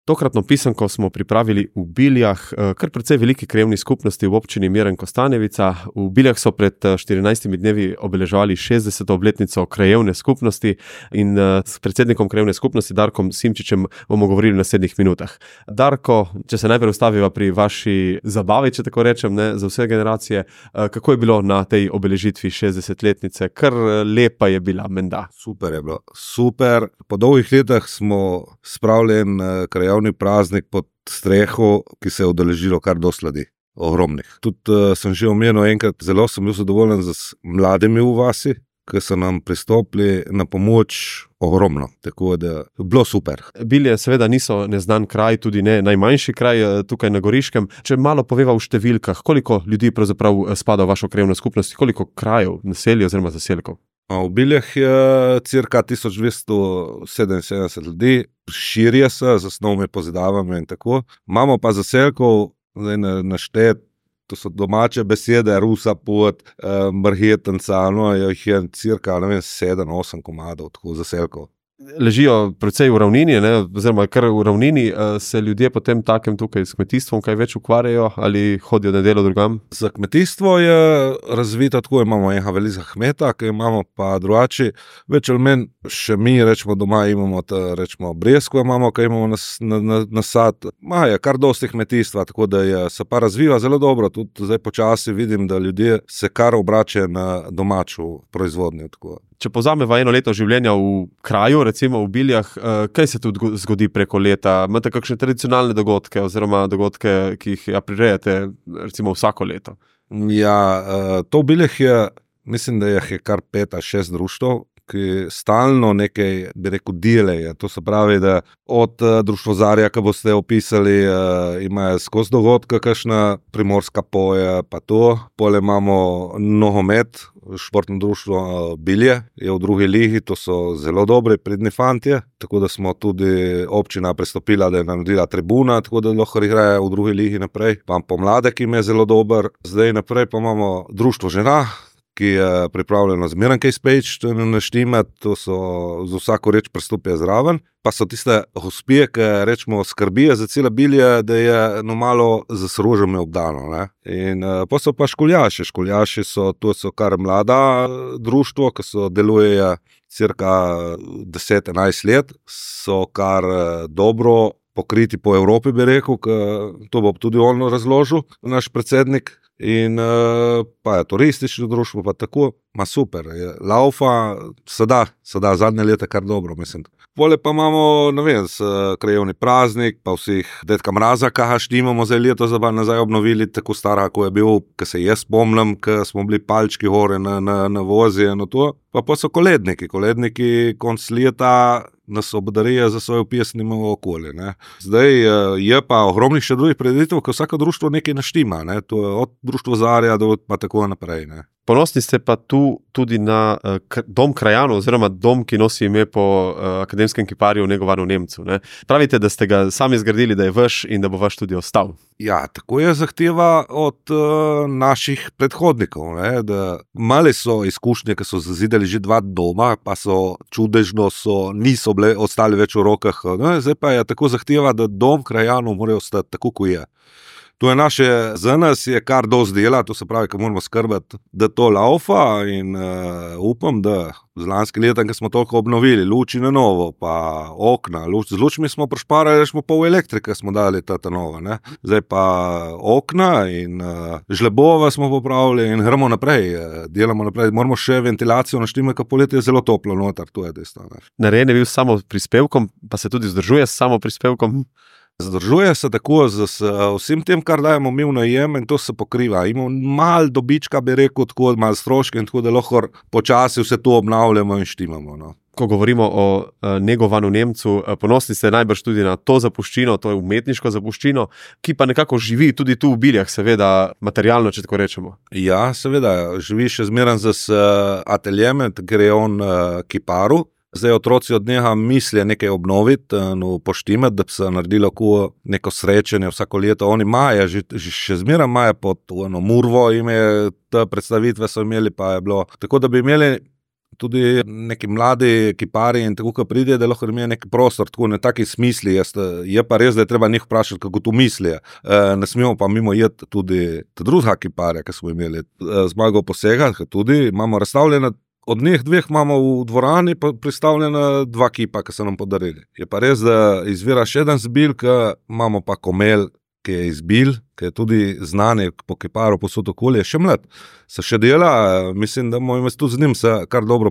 Tokratno pisanko smo pripravili v Biljah, kar precej veliki krajevni skupnosti v občini Miren-Kostanjevica. V Biljah so pred 14 dnevi obeleževali 60. obletnico krajevne skupnosti in s predsednikom krajevne skupnosti Darkom Simčičem bomo govorili v naslednjih minutah. Darko, če se najprej ustaviva pri vaši zabavi, če tako rečem, ne, za vse generacije, kako je bilo na tej obeležitvi 60-letnice? Kar lepa je bila, menda. Super je bilo, super. Po dolgih letih smo spravili en krajevni praznik pod streho, ki se je udeležilo kar dosti ljudi, ogromnih. Tudi sem že omenil enkrat, zelo sem bil zadovoljen z mladimi v vasi, ki so nam pristopili na pomoč ogromno, tako da je bilo super. Bilje seveda niso neznan kraj, tudi ne najmanjši kraj tukaj na Goriškem. Če malo poveva v številkah, koliko ljudi pravzaprav spada v vašo krajevno skupnost, koliko krajev, naselij oziroma zaselkov? V Biljah je cirka 1277 ljudi, širijo se z osnovnimi pozidavami in tako. Imamo pa zaselkov, zdaj naštet, to so domače besede, rusa pot, marhetenca, jih je cirka 7-8 komadov tako zaselkov. Ležijo precej v ravnini, ne? Oziroma kar v ravnini, se ljudje potem takem tukaj s kmetijstvom kaj več ukvarjajo ali hodijo na delo drugam? Za kmetijstvo je razvito tako, imamo enega velikega kmeta, ki imamo pa drugače, več ali manj še mi rečemo doma imamo rečemo breskve imamo, ki imamo nasad. Je kar dosti kmetijstva, tako da se pa razviva zelo dobro, tudi zdaj počasi vidim, da ljudje se kar obračajo na domačo proizvodnjo. Tako. Če povzameva eno leto življenja v kraju, recimo v Biljah, kaj se tu zgodi preko leta? Imate kakšne tradicionalne dogodke oziroma dogodke, ki jih prirejate recimo vsako leto? Ja, to v Biljah je, mislim, da je kar 5-6 društev, ki stalno nekaj, bi rekel, delajo. To se pravi, da od društvozarja, ki boste opisali, imajo skozi dogodka, kakšna primorska poje, pa to. Pole imamo nogomet, športno društvo Bilje je v drugi ligi, to so zelo dobri, pridni fantje, tako da smo tudi občina pristopila, da je naredila tribuna, tako da lahko igrajo v drugi ligi naprej. Pa pomladek im je zelo dober. Zdaj naprej pa imamo društvo žena, ki je pripravljeno zmeraj kaj speč, to je naštimat, to so za vsako reč prestopijo zraven. Pa so tiste hospije, ki rečemo skrbijo za cela Bilje, da je malo z rožami obdano. Ne? In pa so pa školjaši. Školjaši so, to so kar mlada društvo, ki so delujejo cirka 10-11 let, so kar dobro pokriti po Evropi, bi rekel, to bo tudi on razložil, naš predsednik. In pa je turistično društvo, pa tako, super, je laufa, se da zadnje leta kar dobro, mislim. Pole pa imamo, krajevni praznik, pa vseh Dedka Mraza, ki imamo zdaj leto nazaj obnovili, tako stara, ko je bil, ki se jaz spomnim, ko smo bili palčki gore na vozi, pa so koledniki konc leta nas obdarijo za svoje pesnime v okolje. Ne. Zdaj je pa ogromnih še drugih prireditev, ko vsako društvo nekaj naštima, ne. To je od društvozarja do pa tako naprej. Ne. Ponosni ste pa tu tudi na dom krajanov, oziroma dom, ki nosi ime po akademskem kiparju Negovanu Nemcu. Ne? Pravite, da ste ga sami zgradili, da je vaš in da bo vaš tudi ostal. Ja, tako je zahteva od naših predhodnikov. Ne? Da male so izkušnje, ki so zazidali že 2 doma, pa so čudežno, niso ostali več v rokah. Ne? Zdaj pa je tako zahteva, da dom krajanov mora ostati tako, kot je. To je naše, za nas je kar dosti dela, to se pravi, ko moramo skrbeti, da to laufa in upam, da z lanskim letom, ko smo toliko obnovili, luči na novo, pa okna, z lučmi smo prešparali, rečemo pol elektrike smo dali ta nova, ne. Zdaj pa okna in žlebova smo popravili in gremo naprej, delamo naprej, moramo še ventilacijo naštimati, ker poletje je zelo toplo noter, to je dejstvo. Narejen je bil samo prispevkom, pa se tudi vzdržuje s samo prispevkom? Zdržuje se tako z vsem tem, kar dajemo mi v najem in to se pokriva. Imamo malo dobička, bi rekel, tako malo stroške in tako, da lahko počasi vse to obnavljamo in štimamo. No. Ko govorimo o Negovanu Nemcu, ponosni ste najbrž tudi na to zapuščino, to je umetniško zapuščino, ki pa nekako živi tudi tu v Biljah, seveda materialno, če tako rečemo. Ja, seveda, živi še zmeraj z ateljem, ker je on kiparu. Zdaj otroci od njega mislijo nekaj obnoviti, poštimati, da bi se naredilo neko srečanje vsako leto. Oni imajo, še zmeraj imajo pod Murvo, te predstavitve so imeli, pa je bilo tako, da bi imeli tudi neki mladi kipari in tako, ko pride, da lahko imajo neki prostor, tako na taki smisli. Je pa res, da je treba njih vprašati, kako to mislijo. Ne smemo pa mimo jeti tudi druga kiparja, ki smo imeli Zmago Posega, tudi imamo razstavljena. Od njih dveh imamo v dvorani pristavljena 2 kipa, ki so nam podarili. Je pa res, da izvira še eden zbil, ki imamo pa Komel, ki je izbil, ki je tudi znani po kiparu posod okolje, še mlad. Se še dela, mislim, da bomo tudi z njim se kar dobro